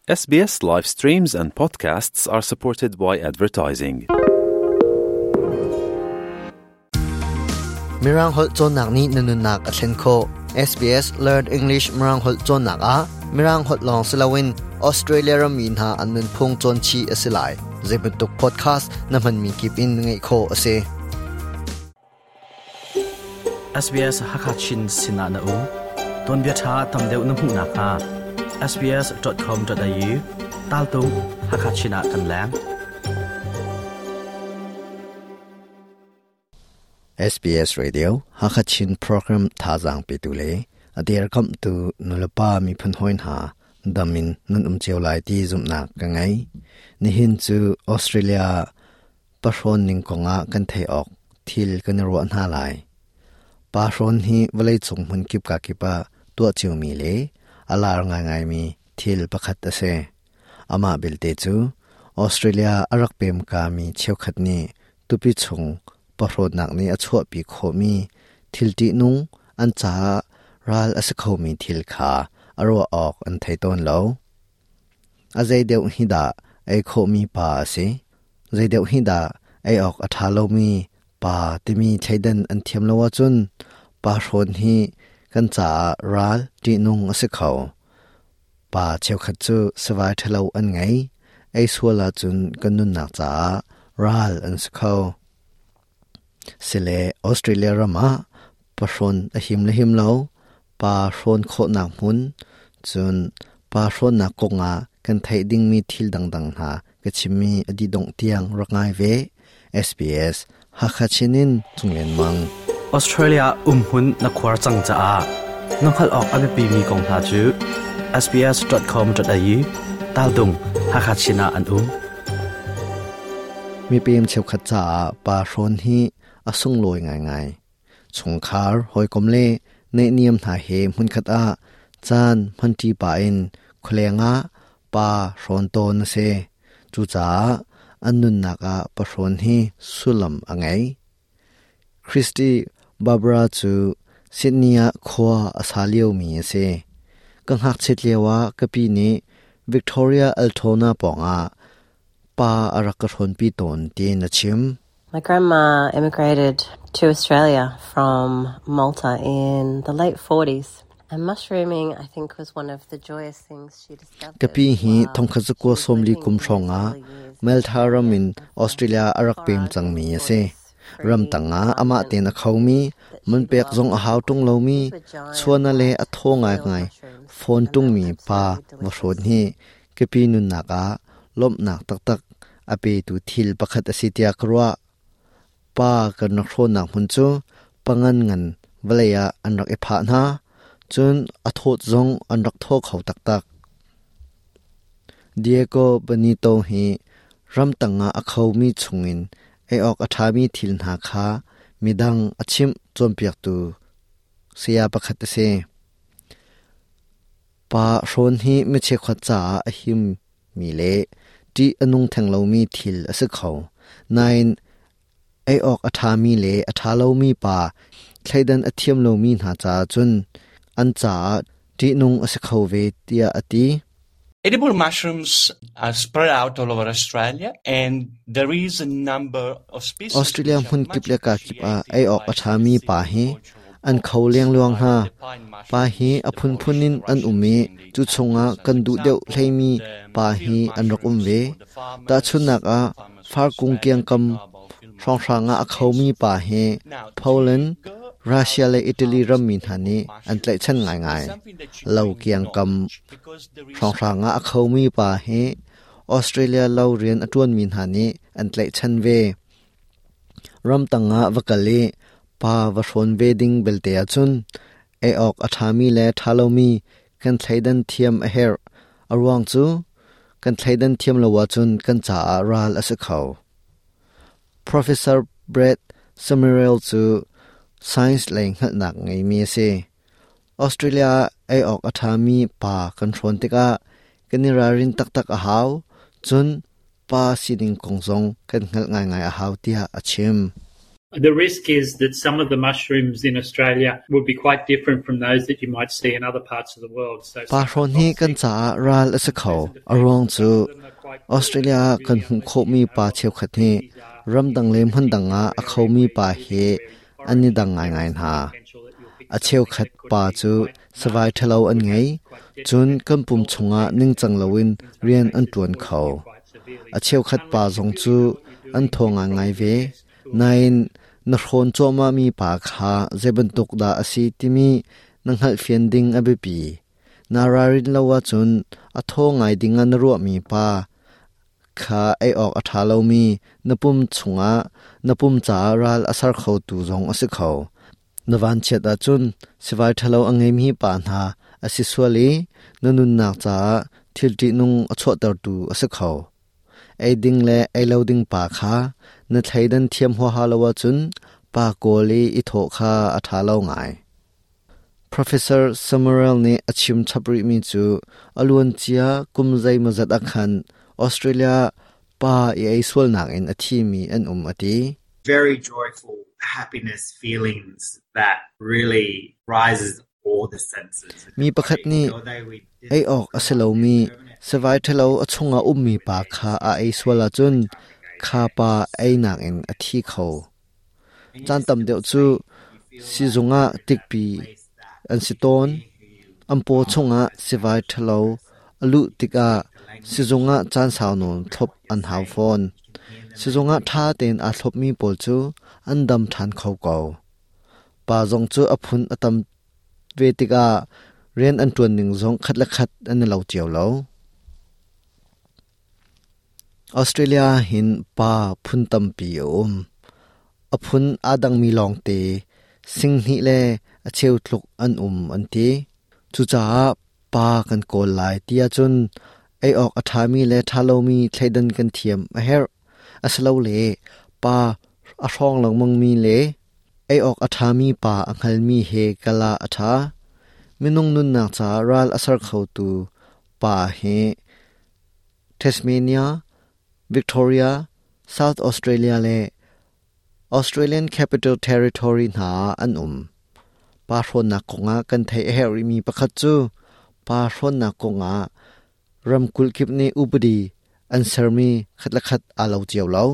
SBS live streams and podcasts are supported by advertising. Mirang holh cawnnak nih na nunnak a thlen khawh. SBS Learn English Mirang holh cawnnak ah Mirang holh lawng si loin Australia rammi hna an nunphung cawn chih a si lai. Zeibantuk podcast na hmanmi kip in ngaih khawh a si. SBS Hakachin sinah na um. Tuanbia ṭha tam deuh na hmuh nakhnga sbs.com.au taltung Hakachin ah kan leng. SBS Radio Hakachin program thazaang petu le a dirkamhtu nulepa miphun hawi hna dam in nan um cio lai ti zumhnak ka ngei. Nihin cu Australia Pahrawn ning kongah kan theih awk thil kan i ruah hna lai. Pahrawn hi vawleicung hmunkip kakip ah tuah ciomi le a lar ngaingaimi thil pakhat a si. Amah belte cu Australia a rak pem kami cheukhat nih tupi chung pahrawnnak nih a chuahpi khawhmi thil ṭihnung an caah ral a si khomi thil kha a ruah awk an thei tawn lo. A zei deuh hi dah ei khawhmi pa a si? Zei deuh hi dah ei awk a ṭha lomi pa timi thleidan an thiam lo ahcun pa hrawn hi kan caah ral ṭihnung a si kho. Pa cheukhat cu sivai ṭhalo an ngei. Ei sual ahcun kan nunnak caah ral an si kho. Sile Australia ram ah pahrawn a him le him lo, pa hrawn khawhnak hmun, cun pa hrawnnak kongah kan theih dingmi thil dangdang hna ka chimmi a dih dongh tiang rak ngai ve. SBS Hakha Chin in Cunglen Mang. Australia umhmun na khuar cang caah na hngalh awk a biapimi kong hna cu sbs.com.au taldung Hakha Chin ah an um. Mipem cheukhat caah pa hrawn hi a sunglawi ngaingai. Chungkhar, hawikom le naihniam hna he hmunkhat ah caan hmanṭi pah in khualeng ah pa hrawn tawn a si. Cucaah an nunnak ah pahrawn hi sullam a ngei. Christy Barbara cu Sydney ah khua a sa liomi a si. Ka ngakchiat lioah ka pi nih Victoria Altona pawngah pa a rak ka hrawnpi tawn tiin a chim. My grandma immigrated to Australia from Malta in the late 40s. And mushrooming, I think, was one of the joyous things she discovered. Ka pi hi thongkhat zakua sawmli kum hrawngah Malta ram in Australia a rak pem cangmi a si. Ramtang ah amah tein a khomi, man pek zong a hau ṭung lomi, chuana le a thaw ngaingai fawn ṭungmi pa va hrawn hi ka pi nunnak ah lawmhnak taktak a petu thil pakhat a si tiah ka ruah. Pa kan rak hrawnnak hmun cu pangan ngan vawlei ah an rak i phah hna, cun a thawt zong an rak thaw kho taktak. Diego Benito hi ramtang ah a khomi chungin ei awk a ṭhami thil hna kha midang a chimh cawnpiaktu saya pakhat a si. Pa hrawn hi mi cheukhat caah a himmi le ṭih a nung theng lomi thil a si kho. Nain ei awk a ṭhami le a ṭha lomi pa thleidan a thiam lomi hna caah cun an caah ṭihnung a si kho ve tiah a ti. Edible mushrooms are spread out all over Australia and there is a number of species Australia hmun kip le ka kip ah ei awk a ṭhami pa hi an kho lengluang hna. Pa hi a phunphun in an um i cu chungah kan duh deuh hleimi pa hi an rak um ve. Tahchunhnak ah, farkung kiangkam hrawnghrang ah a khomi pa hi Poland, Russia le Italy rammi hna nih an tlaihchan ngaingai. Lo kiangkam hrawnghrang ah a khomi pa hi Australia lo rian a ṭuanmi hna nih an tlaihchan ve. Ramtang ah va kal i pa va hrawn ve ding belte ahcun ei awk a ṭhami le ṭha lomi kan thleidan thiam a herh. A ruang cu kan thleidan thiam lo ahcun kan caah ral a si kho. Professor Brett Summerell cu science lei hngalhnak ngeimi a si. Australia ah ei awk a ṭhami pa kan hrawn tikah kan i ralrin taktak a hau. Cun pa sining kong zong kan hngalh ngaingai a hau tiah a chim. The risk is that some of the mushrooms in Australia would be quite different from those that you might see in other parts of the world. So Pa hrawn hi kan caah ral a si kho. A ruang cu Australia ah kan hmuh khawhmi pa cheukhat hi ramdang le hmundang ah a khomi pa he an i dang ngaingai hna. A cheukhat pa cu savai ṭhalo an ngei, cun kan pum chungah ningcang loin rian an ṭuan kho. A cheukhat pa zong cu an thaw ngaingai ve. Nain na hrawn cuahmahmi pa kha zei bantuk dah a si timi na hngalhfian ding a biapi. Naa ralrin lo ahcun a thaw ngai dingah na ruahmi pa kha ei awk a ṭha lomi na pum chungah na pum caah ral a ser khotu zong a si kho. Na vanchiat ahcun sivai ṭhalo a ngeimi pa hna a si sual i na nunnak caah thil ṭihnung a chuahtertu a si kho. Ei ding le ei lo ding pa kha na thleidan thiam huaha lo ahcun pa kawl i i thawh kha a ṭha lo ngai. Professor Summerell nih a chim chap rihmi cu a luancia kum zeimawzat ah khan Australia pa i ei sualnak in a thimi an um a ti. Very joyful happiness feelings that really rises all the senses. Mi pakhat nih ei awk a si lomi sivai ṭhalo a chungah ummi pa kha a ei sual ahcun kha pa einak in a thi kho. Caan tam deuh cu siizung ah tikpi an si tawn. An paw chungah sivai ṭhalo a luh tikah sizung ah caan sau nawn thlop an hau fawn. Sizung ah ṭha tein aa thlopmi pawl cu an dam ṭhan kho ko. Pa zong cu a phun a tam ve tikah rian an ṭuan ning zong khat le khat an i lo cio lo. Australia hin pa phun tampi a um. A phun aa dangmi lawngte singhnih le a cheu tluk an um an ti. Cucaah pa kan kawl lai ti ahcun ei awk a ṭhami le ṭha lomi thleidan kan thiam a herh. Asilole pa a hrawng lengmangmi le ei awk a ṭhami pa a hngalmi he kal ah a ṭha. Minung nunnak caah ral a ser khotu pa hi Tasmania, Victoria, South Australia le Australian Capital Territory hna ah an um. Pa hrawnnak kongah kan theih a herh rihmi pakhat cu pa hrawnnak kongah ramkulh kip nih upadi an sermi khat le khat aa lo cio lo.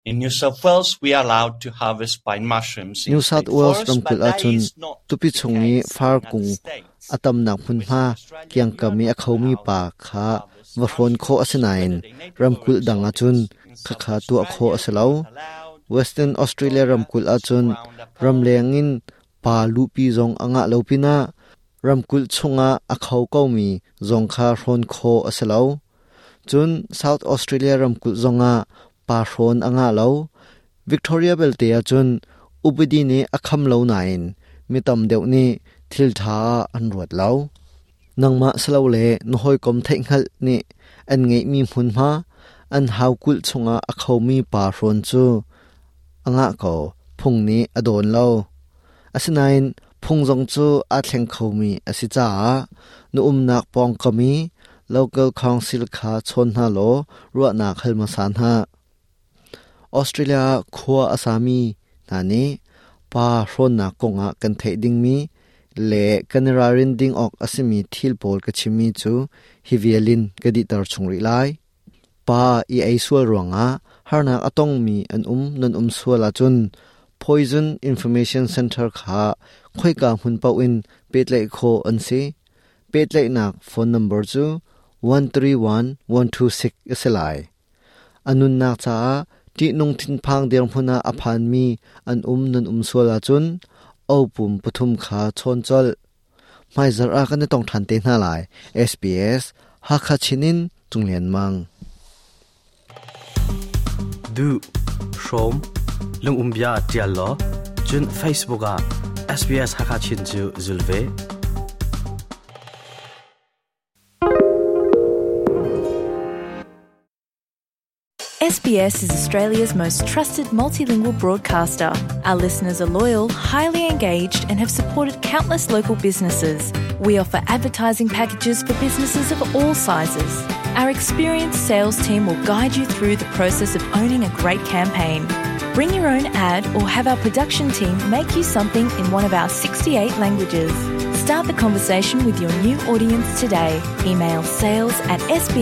In New South Wales, we are allowed to harvest pine mushrooms in New South state Wales forests, ramkulh but that ahcun is not tupi the chung i case far in other kung states. a tamnak In hmunhma Western Australia, we kiangkam are i a not khomi allowed pa to kha harvest va hrawn khawh a si mushrooms, nain whether they native or ramkulh dang ahcun exotic. In South khakha tuah khawh a Australia, si we lo. are not allowed. Western In Australia Victoria, ramkulh it's ahcun frowned upon. ramleng in pa luhpi zong a ngah lo pinah ramkulh chungah a kho komi zong kha hrawn khawh a si lo. Cun South Australia ramkulh zongah pa hrawn a ngah lo. Victoria belte ahcun upadi nih a kham lo nain mi tam deuh nih thil ṭha ah an ruat lo. Nangmah silole na hawikom theihhngalh nih an ngeihmi hmunhma, an haukulh chungah a khomi pa hrawn cu a ngah ko, phung nih a dawn lo. Asinain phung zong cu aa thleng khomi a si caah na umnak pawngkam i local council kha chawn hna law ruahnak hal hmasa hna. Australia ah khua a sami hna nih pa hrawnnak kongah kan theih dingmi le kan i ralrin ding awk a simi thil pawl ka chimmi cu hi vial in ka dihter chung rih lai. Pa i ei sual ruangah harnak a tongmi an um nan um sual ahcun Poison Information Center kha khoika hmun paoh in pehtlaih khawh an si. Pehtlaihnak phone number cu 131 126 a si lai. A nunnak caah ṭihnung thinphang dirhmun ah a phanmi an um nan um sual ahcun opum pathum kha chawn colh. Hmaizarh ah kan i tong ṭhan te hna lai. SBS Hakha Chin in Cung Lian Mang. Duh, hrawm, lungum bia ṭial law, cun Facebook ah SBS Hakha Chin cu zul ve. SBS is Australia's most trusted multilingual broadcaster. Our listeners are loyal, highly engaged, and have supported countless local businesses. We offer advertising packages for businesses of all sizes. Our experienced sales team will guide you through the process of owning a great campaign. Bring your own ad or have our production team make you something in one of our 68 languages. Start the conversation with your new audience today. Email sales at sbs.com.au.